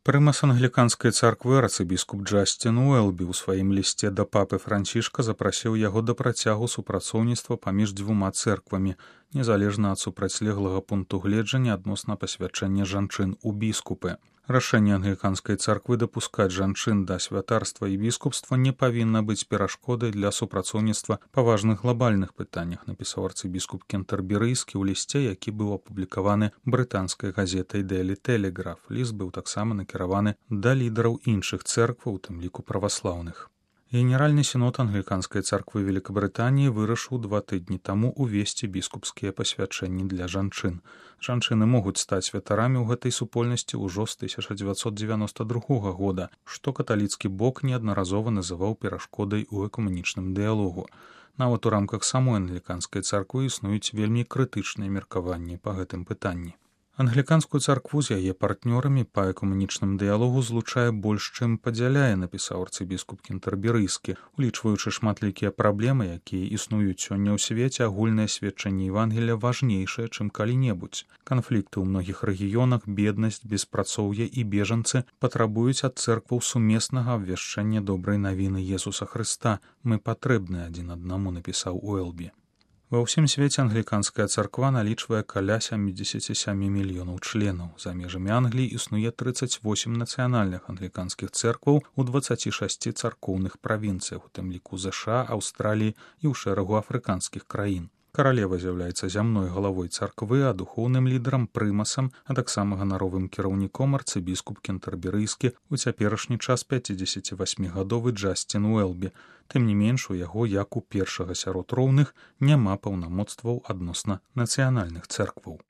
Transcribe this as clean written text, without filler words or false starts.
Прымас англіканскай царквы арцыбіскуп Джасцін Уэлбі ў сваім лісце да папы Францішка запрасіў яго да працягу супрацоўніцтва паміж дзвюма цэрквамі, незалежна ад супрацьлеглага пункту гледжання адносна пасвячэння жанчын у біскупы. Рашэнне англіканскай царквы дапускаць жанчын да святарства і біскупства не павінна быць перашкодай для супрацоўніцтва па важных глобальных пытаннях, напісаў арцыбіскуп кентэрберыйскі ў лісце, які быў апублікаваны брытанскай газетай Daily Telegraph. Ліст быў таксама накіраваны да лідараў іншых цэркваў, у тым ліку праваслаўных. Генеральны сінод англіканскай царквы Великабрытаніі вырашыў 2 тыдні таму увесці біскупскія пасвячэнні для жанчын. Жанчыны могуць стаць святарамі ў гэтай супольнасці ўжо з 1992 года, што каталіцкі бок неаднаразова называў перашкодай у экуменічным дыялогу. Нават у рамках самой англіканскай царквы існуюць вельмі крытычныя меркаванні па гэтым пытанні. Англіканскую царкву з яе партнёрамі па экуменічным дыялогу злучае больш, чым падзяляе, напісаў арцыбіскуп кентэрберыйскі. Улічваючы шматлікія праблемы, якія існуюць сёння ў свеце, агульнае сведчанне Евангелія важнейшае, чым калі-небудзь. Канфлікты ў многіх рэгіёнах, беднасць, беспрацоўе і бежанцы патрабуюць ад цэркваў сумеснага абвяшчэння добрай навіны Jesуса Хрыста. Мы патрэбны адзін аднаму, напісаў Уэлбі. Ва ўсім свеце англіканская царква налічвае каля 77 мільёнаў членаў. За межамі Англіі існуе 38 нацыянальных англіканскіх цэркваў у 26 царкоўных правінцыях, у тым ліку ЗША, Аўстраліі і ў шэрагу афрыканскіх краін. Каралева з'яўляецца зямной галавой царквы, а духоўным лідарам прымасам, а таксама ганаровым кіраўніком арцыбіскуп кентэрберыйскі у цяперашні час 58гадовы Джасцін Уэлбі. Тым не менш, у яго, як у першага сярод роўных, няма паўнамоцтваў адносна нацыянальных цэркваў.